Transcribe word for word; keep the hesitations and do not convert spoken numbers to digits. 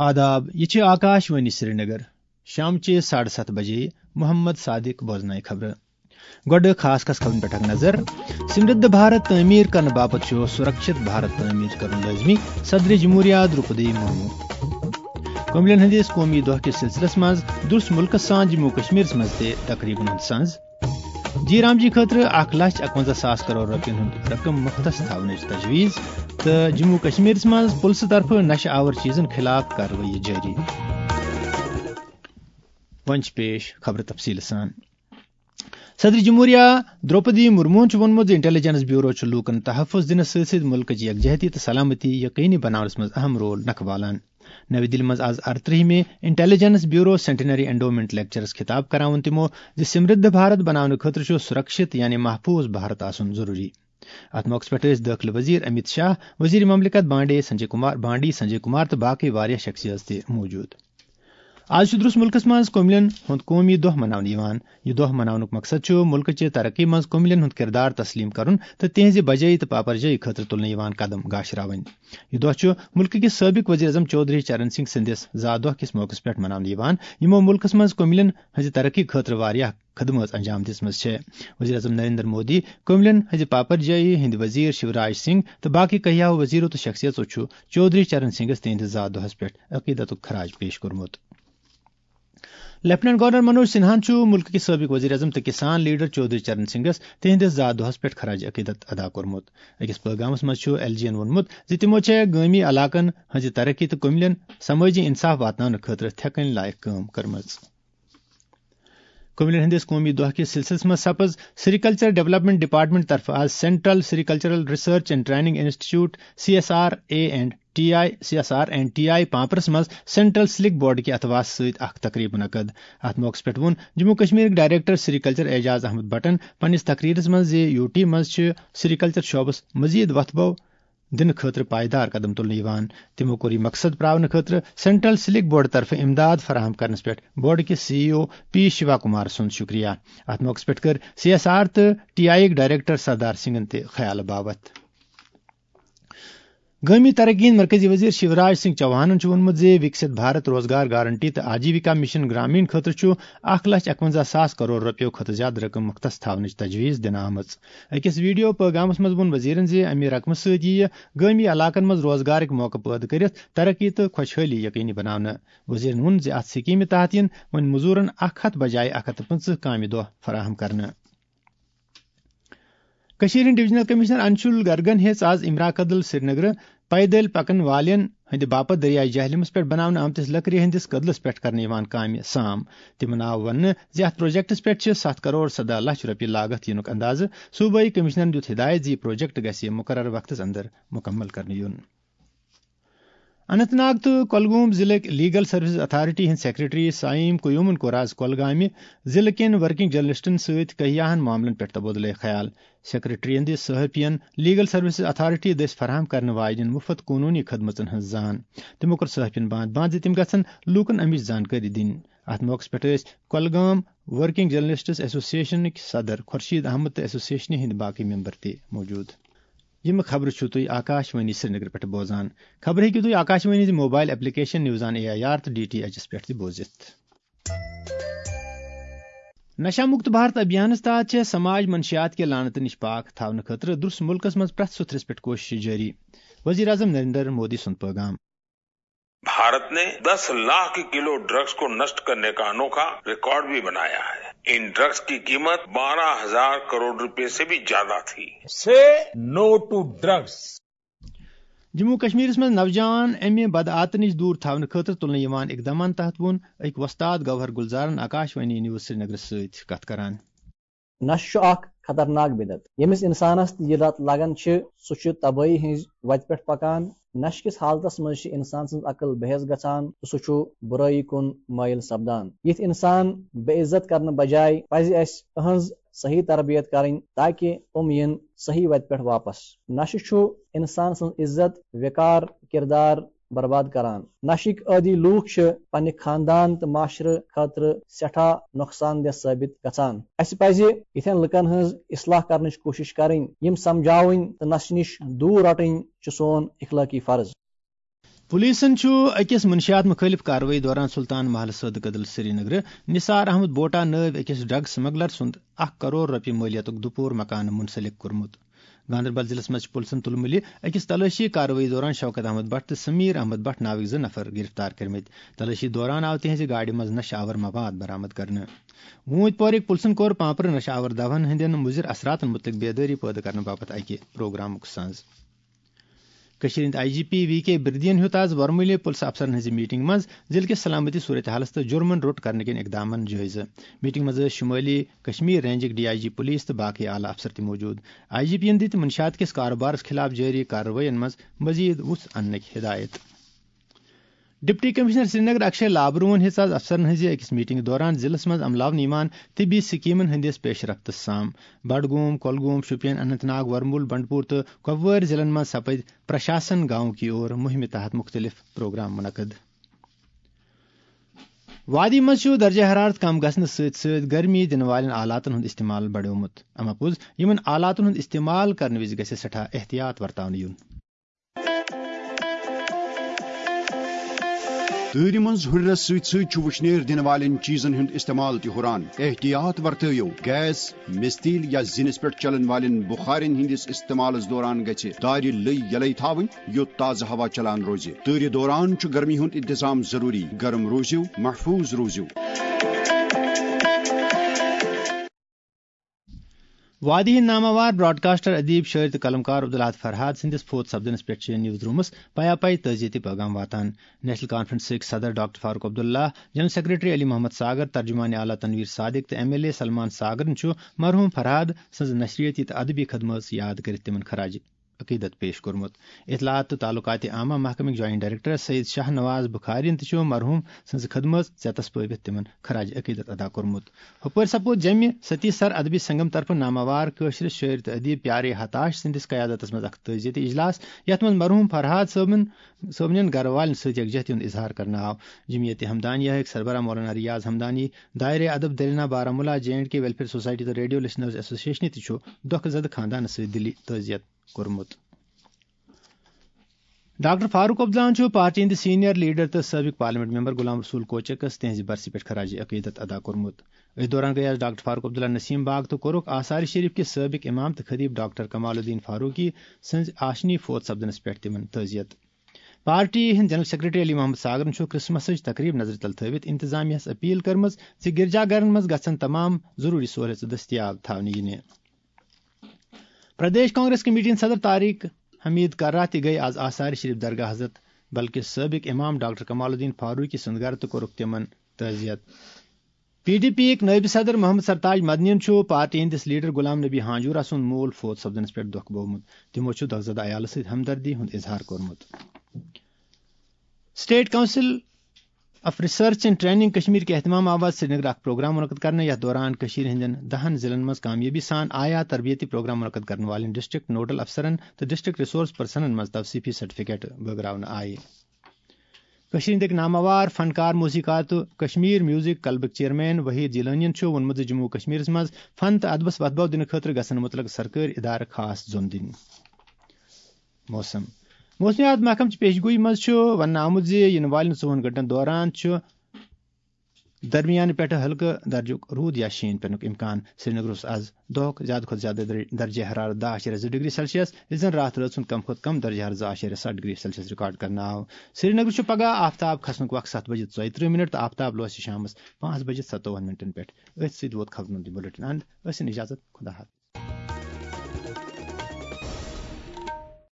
آداب، یہِ چھِ آکاش وانی سرینگر۔ شامچہِ ساڑٕ ستھ بجے محمد صادق بوزنایہِ خبرٕ۔ گۄڈٕ خاص خاص خبرن پٮ۪ٹھ اکھ نظر۔ سمردھ بھارت تعمیٖر کرنہٕ باپتھ چھُ سُرکشت بھارت تعمیٖر کرُن لٲزمی، صدر جمہوریہ درٛوپدی مرمو۔ کملین ہٕنٛدِس قومی دۄہ کِس سلسلس منٛز درٛس مُلکس سان جموں کشمیرس منٛز تہِ تقریبن ہُنٛد سنز۔ جی رام جی خٲطرٕ اکھ لچھ اکونزہ ساس کرور رۄپین ہُنٛد رقم مختص تھاونٕچ تجویز تہٕ جموں کشمیرس منٛز پُلسہٕ طرفہٕ نشہٕ آور چیزن خلاف کاروٲیی جٲری۔ وۄنۍ چھِ پیش خبرٕ تفصیٖل سان۔ صدر جمہوریہ درٛوپدی مرموہن چھُ ووٚنمُت زِ انٹیلیجنس بیورو چھُ لوٗکن تحفظ دِنس سۭتۍ سۭتۍ مُلکٕچ یکجہتی تہٕ سلامتی یقینی بناونس منٛز اہم رول نکھٕ والان۔ نَوِ دِلہِ منٛز آز ارترٛہمہِ intelligence bureau centenary endowment lectures خطاب کران ووٚن تِمو زِ سمردھ بھارت بناونہٕ خٲطرٕ چھُ سُرکشت یعنی محفوظ بھارت آسُن ضروٗری۔ اتھ موقعس پٮ۪ٹھ ٲسۍ دٲخلہٕ وزیر امیت شاہ، وزیر مملکت بانڈے سنجے کمار، بانڈی سنجے کمار تہٕ باقٕے واریاہ شخصیژ تہِ موجود۔ آز چھُ درٛس مُلکس منٛز کملین ہُنٛد قومی دۄہ مناونہٕ یِوان۔ یہِ دۄہ مناونُک مقصد چھُ مُلکٕچہِ ترقی منٛز کملین ہُنٛد کردار تسلیم کرُن تہٕ تِہنٛزِ بجٲیی تہٕ پاپرجٲیی خٲطرٕ تُلنہٕ یِوان قدم گاشراوٕنۍ۔ یہِ دۄہ چھُ مُلکہٕ کِس سٲبق وزیر اعظم چودھری چرن سنگھ سٕنٛدِس زا دۄہ کِس موقعس پٮ۪ٹھ مناونہٕ یِوان، یِمو مُلکس منٛز کملین ہٕنٛزِ ترقی خٲطرٕ واریاہ خدمٲژ انجام دِژمٕژ چھےٚ۔ وزیر اعظم نریندر مودی، کملین ہٕنٛزِ پاپرجٲیی ہٕنٛدۍ وزیر شیوراج سنگھ تہٕ باقٕے کیہو وزیرو تہٕ شخصیژو چھُ چودھری چرن سنگھس تِہنٛدِس زا دۄہس پٮ۪ٹھ عقیدتُک خراج پیش کوٚرمُت۔ لیفٹیننٹ گورنر منوج سنہاہن چھُ مُلکہٕ کِس سٲبق وزیر اعظم تہٕ کسان لیڈر چودھری چرن سنگھس تِہنٛدِس زا دۄہس پٮ۪ٹھ خراج عقیدت ادا کوٚرمُت۔ أکِس پٲغامس منٛز چھُ ایل جی ین ووٚنمُت زِ تِمو چھےٚ گٲمی علاقن ہٕنٛزِ ترقی تہٕ کملین سمٲجی انصاف واتناونہٕ خٲطرٕ تھٮ۪کٕنۍ لایق کٲم کٔرمٕژ۔ کملین ہٕنٛدِس قومی دۄہ کِس سلسلس منٛز سپٕز سیریکلچر ڈیولپمنٹ ڈپارٹمنٹ طرفہٕ آز central sericultural research and training institute, C S R A and T I, C S R and T I پامپرس منٛز سینٹرل سلک بورڈ کہِ اتھواسہٕ سۭتۍ اکھ تقریب منعقد۔ اتھ موقعس پٮ۪ٹھ ووٚن جموں کشمیرٕکۍ ڈائریکٹر سیریکلچر اعجاز احمد بٹن پننِس تقریرس منٛز زِ یو ٹی منٛز چھِ سیریکلچر شعبس مزید وتھبو دِنہٕ خٲطرٕ پائیدار قدم تُلنہٕ یِوان۔ تِمو کوٚر یہِ مقصد پراونہٕ خٲطرٕ سینٹرل سلک بورڈ طرفہٕ امداد فراہم کرنس پٮ۪ٹھ بورڈ کِس سی ای او پی شیوا کمار سُنٛد شُکریہ۔ اتھ موقعس پٮ۪ٹھ کٔر سی ایس آر تہٕ ٹی آئی یٕکۍ ڈائریکٹر سردار سنگھن تہِ خیال باوتھ۔ گٲمی ترقی ہٕنٛدۍ مرکزی وزیر شیوراج سنگھ چوہانن چھُ ووٚنمُت زِ وکست بھارت روزگار گارنٹی تہٕ آجیوکا مشن گرامین خٲطرٕ چھُ اکھ لچھ اکونزہ ساس کرور رۄپیو کھۄتہٕ زیادٕ رقم مختص تھاونٕچ تجویز دِنہٕ آمٕژ۔ أکِس ویڈیو پٲغامَس منٛز ووٚن وزیرَن زِ اَمہِ رقمہٕ سۭتۍ یِیہِ گٲمی علاقَن منٛز روزگارٕکۍ موقعہٕ پٲدٕ کٔرِتھ ترقی تہٕ خۄشحٲلی یقینی بناونہٕ۔ وزیرَن ووٚن زِ اَتھ سکیٖمہِ تحت یِن وۄنۍ مٔزوٗرَن اکھ ہَتھ بجایہِ اکھ ہَتھ تہٕ پٕنٛژٕہ کامہِ دۄہ فراہم کرنہٕ۔ کٔشیٖرِ ہٕنٛدۍ ڈویژنل کمشنر انشول گرگن ہیٚژ آز امرا کدل سرینگرٕ پیدل پکن والٮ۪ن ہٕنٛدِ باپتھ دٔریاے جہلمس پٮ۪ٹھ بناونہٕ آمتِس لٔکرِ ہٕنٛدِس کٔدلس پٮ۪ٹھ کرنہٕ یِوان کامہِ سام۔ تِمن آو وننہٕ زِ اتھ پروجیکٹس پٮ۪ٹھ چھِ ستھ کرور سداہ لچھ رۄپیہِ لاگتھ یِنُک اندازٕ۔ صوبٲئی کمشنرن دیُت ہدایت زِ یہِ پروجیکٹ گژھِ مقررٕ وقتس اندر مکمل کرنہٕ یُن۔ اننت ناگ تہٕ کۄلگوم ضلعٕکۍ لیگل سروسز اتھارٹی ہٕنٛدۍ سیکرٹری سعیم قیومن کوٚر آز کۄلگامہِ ضلعہٕ کٮ۪ن ورکنگ جرنلسٹن سۭتۍ کیاہن معاملن پٮ۪ٹھ تبادلہٕ خیال۔ سیکرٹریَن دِژ صحافیَن لیگل سروسز اتھارٹی دٔسۍ فراہم کرنہٕ واجٮ۪ن مُفت قونوٗنی خدمژن ہٕنٛز زان۔ تِمو کٔر صحافیَن باند باند زِ تِم گژھن لوٗکن امِچ زانکٲری دِنۍ۔ اتھ موقعس پٮ۪ٹھ ٲسۍ کۄلگام ورکنگ جرنلسٹس ایسوسیشنٕکۍ صدر خورشید احمد تہٕ ایسوسیشنہِ ہٕنٛدۍ باقٕے ممبر تہِ موجود۔ یِم خبرٕ چھِو تُہۍ آکاش وانی سرینگر پٮ۪ٹھ بوزان۔ خبرٕ ہیٚکِو تُہۍ آکاش وانی ہٕنٛزِ mobile application news on A I R تہٕ ڈی ٹی ایچ یَس پٮ۪ٹھ تہِ بوٗزِتھ۔ نشہ مکت بھارت ابھیانس تحت چھےٚ سماج منشیات کہِ لعنتہٕ نِش پاک تھاونہٕ خٲطرٕ درس ملکس منٛز پرٛٮ۪تھ سُتھرِس پٮ۪ٹھ کوٗششہٕ جٲری۔ وزیر اعظم نریندر مودی سُنٛد پٲغام۔ भारत ने दस लाख किलो ड्रग्स को नष्ट करने का अनोखा रिकॉर्ड भी बनाया है। इन ड्रग्स की कीमत बारह हज़ार करोड़ रुपए से भी ज्यादा थी। Say no to drugs. Jammu کشمیرس منٛز نوجوان امہِ بدعات نِش دوٗر تھاونہٕ خٲطرٕ تُلنہٕ یِوان اقدامن تحت ووٚن أکۍ وۄستاد گوہر گلزارن آکاش وانی نیوز سرینگرس سۭتۍ کتھ کران۔ نشہٕ چھُ اکھ خطرناک بدعت۔ ییٚمِس انسانس تہِ یہِ لت لگان چھِ، سُہ چھُ تبٲہی ہٕنٛزِ وتہِ پٮ۪ٹھ پکان۔ نشہٕ کِس حالتس منٛز چھِ انسان سٕنٛز عقل بحث گژھان تہٕ سُہ چھُ بُرٲیی کُن مٲیِل سپدان۔ یِتھۍ انسان بے عزت کرنہٕ بجایہِ پزِ اسہِ أہنٛز صحیح تربیت کرٕنۍ، تاکہ یِم یِن صحیح وتہِ پٮ۪ٹھ واپس۔ نشہٕ چھُ انسان سٕنٛز عزت، وقار، کردار برباد کران۔ نشٕکۍ عٲدی لوٗکھ چھِ پننہِ خاندان تہٕ معاشرٕ خٲطرٕ سٮ۪ٹھاہ نۄقصان دہ ثٲبت گژھان۔ اسہِ پزِ یِتھٮ۪ن لُکن ہٕنٛز اصلاح کرنٕچ کوٗشش کرٕنۍ، یِم سمجھاوٕنۍ تہٕ نشہٕ نِش دوٗر رٹٕنۍ چھُ سون اخلٲقی فرض۔ پولیسن چھُ أکِس منشیات مُخٲلِف کاروٲیی دوران سلطان محلہٕ صٲدٕ کدل سرینگرٕ نثار احمد بوٹا نٲوۍ أکِس ڈرگ سمگلر سُنٛد اکھ کرور رۄپیہِ مٲلیتُک دُپوٗر مکانہٕ منسلک کوٚرمُت۔ گاندربل ضلعس منٛز چھِ پُلسن تُلمُلہِ أکِس تلٲشی کاروٲیی دوران شوکت احمد بٹ تہٕ سمیر احمد بٹ ناوٕکۍ زٕ نفر گرفتار کٔرمٕتۍ۔ تلٲشی دوران آو تِہنٛزِ گاڑِ منٛز نشہٕ آور مواد برآمد کرنہٕ۔ ووٗنٛتۍ پورٕکۍ پُلسن کوٚر پانپرٕ نشہٕ آور دوہن ہٕنٛدٮ۪ن مُضِر اثراتن مُتعلق بیدٲری پٲدٕ کرنہٕ باپتھ اکہِ پروگرامُک سنز۔ کٔشیٖرِ ہٕنٛدۍ آئی جی پی وی کے بِردین ہیوٚت آز ورمُلہِ پُلسہٕ افسرن ہٕنٛزِ میٖٹِنٛگ منٛز ضِلعہٕ کِس سلامتی صورتحالس تہٕ جُرمن روٚٹ کرنہٕ کٮ۪ن اقدامن جٲیزٕ۔ میٖٹِنٛگ منٛز ٲسۍ شُمٲلی کشمیر رینجٕکۍ ڈی آئی جی پُلیٖس تہٕ باقٕے اعلیٰ افسر تہِ موٗجوٗد۔ آئی جی پی یَن دِتۍ منشیات کِس کارٕبارس خٕلاف جٲری کاروٲیین منٛز مزید وُژھ اننٕکۍ ہدایت۔ ڈپٹی کمشنر سرینگر اکشے لابروہن ہیٚژ آز افسرن ہٕنٛزِ أکِس میٖٹِنٛگہِ دوران ضِلعس منٛز عملاونہٕ یِوان طبی سکیٖمن ہٕنٛدِس پیش رفتس سام۔ بڈگوم، کۄلگوم، شوپین، اننت ناگ، ورمُل، بنڈپور تہٕ کۄپوٲرۍ ضِلعن منٛز سپٕدۍ پرشاسن گاؤں کی اور مُہِمہِ تحت مُختٔلِف پروگرام منعقد۔ وادی منٛز چھُ درجہ حرارت کم گژھنہٕ سۭتۍ سۭتۍ گرمی دِنہٕ والٮ۪ن آلاتن ہُنٛد استعمال بڑیومُت۔ اما پوٚز، یِمن آلاتن ہُنٛد استعمال کرنہٕ وِزِ گژھِ سٮ۪ٹھاہ احتیاط ورتاونہٕ یُن۔ تۭرِ منٛز ہُرٮ۪رس سۭتۍ سۭتۍ چھُ وُشنیر دِنہٕ والٮ۪ن چیٖزن ہُنٛد استعمال تہِ ہُران۔ احتیاط ورتٲیِو، گیس، مِستیٖل یا زِنِس پٮ۪ٹھ چلن والٮ۪ن بُخارٮ۪ن ہٕنٛدِس استعمالس دوران گژھِ دارِ لٔۍ یلے تھاوٕنۍ، یُتھ تازٕ ہوا چلان روزِ۔ تۭرِ دوران چھُ گرمی ہُنٛد انتظام ضروٗری۔ گرم روٗزِو، محفوٗظ روٗزِو۔ وادی ہٕنٛدۍ ناماوار براڈکاسٹر، ادیب، شٲعر تہٕ قلمکار عبدالاحد فرہاد سٕنٛدِس فوت سپدنس پٮ۪ٹھ چھِ نیوز رومس پیا پاے تعزیتی پیغام واتان۔ نیشنل کانفرنسٕکۍ صدر doctor Farooq Abdullah, general secretary Ali Mohammad Sagar, ترجمان اعلیٰ تنویر صادق تہٕ ایم ایل اے سلمان ساگرن چھُ مرحوم فرہاد سٕنٛز نشریٲتی تہٕ ادبی خدمٲژ یاد کٔرِتھ تِمن خراج عقیدت پیش کوٚرمُت۔ اطلاعات تہٕ تعلقات عامہ محکمٕکۍ جوائنٹ ڈائریکٹر سید شاہ نواز بخارین تہِ چھُ مرحوم سٕنٛزِ خدمٲژ ژیتس پٲوِتھ تِمن خراج عقیدت ادا کوٚرمُت۔ ہُپٲرۍ سپُد جمہِ ستی سر ادبی سنگم طرفہٕ ناماوار کٲشرِس شٲعر تہٕ ادیب پیارے ہتاش سٕنٛدِس قیادتس منٛز اکھ تعزیتی اجلاس، یتھ منٛز مرحوم فرہاد صٲبن، صٲبنٮ۪ن گرٕ والٮ۪ن سۭتۍ یکجہتی ہُنٛد اظہار کرنہٕ آو۔ جمعیت ہمدانیہ ہٕکۍ سربراہ مولانا ریاض ہمدانی، دائرہ ادب درینا Baramulla, J and K welfare society تہٕ ریڈیو لسنرز ایسوسیشنہِ تہِ چھُ دۄکھٕ زدٕ خاندانس سۭتۍ دِلی تعزیت کوٚرمُت۔ ڈاکٹر فاروق عبداللہن چھُ پارٹی ہٕنٛدِ سینئر لیڈر تہٕ سٲبق پارلیمنٹ ممبر غلام رسول کوچکس تِہنٛزِ برسی پٮ۪ٹھ خراج عقیدت ادا کوٚرمُت۔ أتھۍ دوران گٔیہِ آز ڈاکٹر فاروق عبداللہ نسیم باغ تہٕ کوٚرُکھ آثار شریف کِس سٲبق امام تہٕ خطیب ڈاکٹر کمال الدین فاروقی سٕنٛزِ آشنی فوت سپدنس پٮ۪ٹھ تِمن تعزیت۔ پارٹی ہٕنٛدۍ جنرل سیکرٹری علی محمد ساگرن چھُ کرسمسٕچ تقریب نظرِ تل تھٲوِتھ انتظامیہس اپیل کٔرمٕژ زِ گرجا گرن منٛز گژھن تمام ضروٗری سہولیژٕ دٔستیاب تھاونہٕ یِنہِ۔ پردیش کانگریس کمیٹی ہٕنٛدۍ صدر طارق حمید کرہ تہِ گٔیہِ آز آثار شریف درگاہ حضرت بلکہِ سٲبق امام ڈاکٹر کمال الدین فاروقی سُنٛد گرٕ تہٕ کوٚرُکھ تِمن تعزیت۔ پی ڈی پی یِکۍ نٲیِب صدر محمد سرتاج مدنین چھُ پارٹی ہٕنٛدِس لیڈر غلام نبی ہانجورہ سُنٛد مول فوت سپدنس پٮ۪ٹھ دۄکھ بوومُت۔ تِمو چھُ دۄکھ زدٕ عیالس سۭتۍ ہمدردی ہُنٛد اظہار کوٚرمُت۔ State council of research and training Kashmir کہِ اہتمام آو آز سرینگر اکھ پروگرام منعقد کرنہٕ، یتھ دوران کشمیر ہٕنٛدٮ۪ن دہن ضلعن منٛز کامیٲبی سان آیا تربیتی پروگرام منعقد کرن والٮ۪ن ڈسٹرکٹ نوڈل افسرن تہٕ ڈسٹرکٹ ریسورس پرسنن منٛز توسیفی سرٹیفکیٹ بٲگراونہٕ آیہِ۔ کشمیر ہٕنٛدۍ ناماوار فنکار، موسیقار تہٕ کشمیر میوزک کلبٕکۍ چیئرمین وحید جیلانین چھُ ووٚنمُت زِ جموں و کشمیرس منٛز فن تہٕ ادبس وتھ باو دِنہٕ خٲطرٕ گژھن متعلقہٕ سرکٲرۍ ادارٕ خاص زوٚن دِنۍ۔ موسم۔ موسمیات محکمہٕ چہِ پیشگویی منٛز چھُ وننہٕ آمُت زِ یِنہٕ والٮ۪ن ژوٚوُہن گھنٹن دوران چھُ درمیانہٕ پٮ۪ٹھٕ ہلکہٕ درجُک روٗد یا شیٖن پٮ۪نُک امکان۔ سرینگرس آز دۄہُک زیادٕ کھۄتہٕ زیادٕ در-، درجہ حرارت دَہ اَشاریہ زٕ ڈگری سیلسیس، یُس زن راتھ رٲژ ہُنٛد کم کھۄتہٕ کم درجہ حرارت زٕ اَشاریہ ستھ ڈگری سیلسیس ریکارڈ کرنہٕ آو۔ سرینگر چھُ پگہہ آفتاب کھسنُک وق ستھ بجے ژۄیہِ ترٕٛہ منٹ تہٕ آفتاب لوسہِ شامس پانٛژھ بجے ستووُہن منٹن پٮ۪ٹھ۔ أتھۍ سۭتۍ ووت خبرن ہُنٛد یہِ بلیٹن اند۔ ٲسِن اجازت، خدا حافظ۔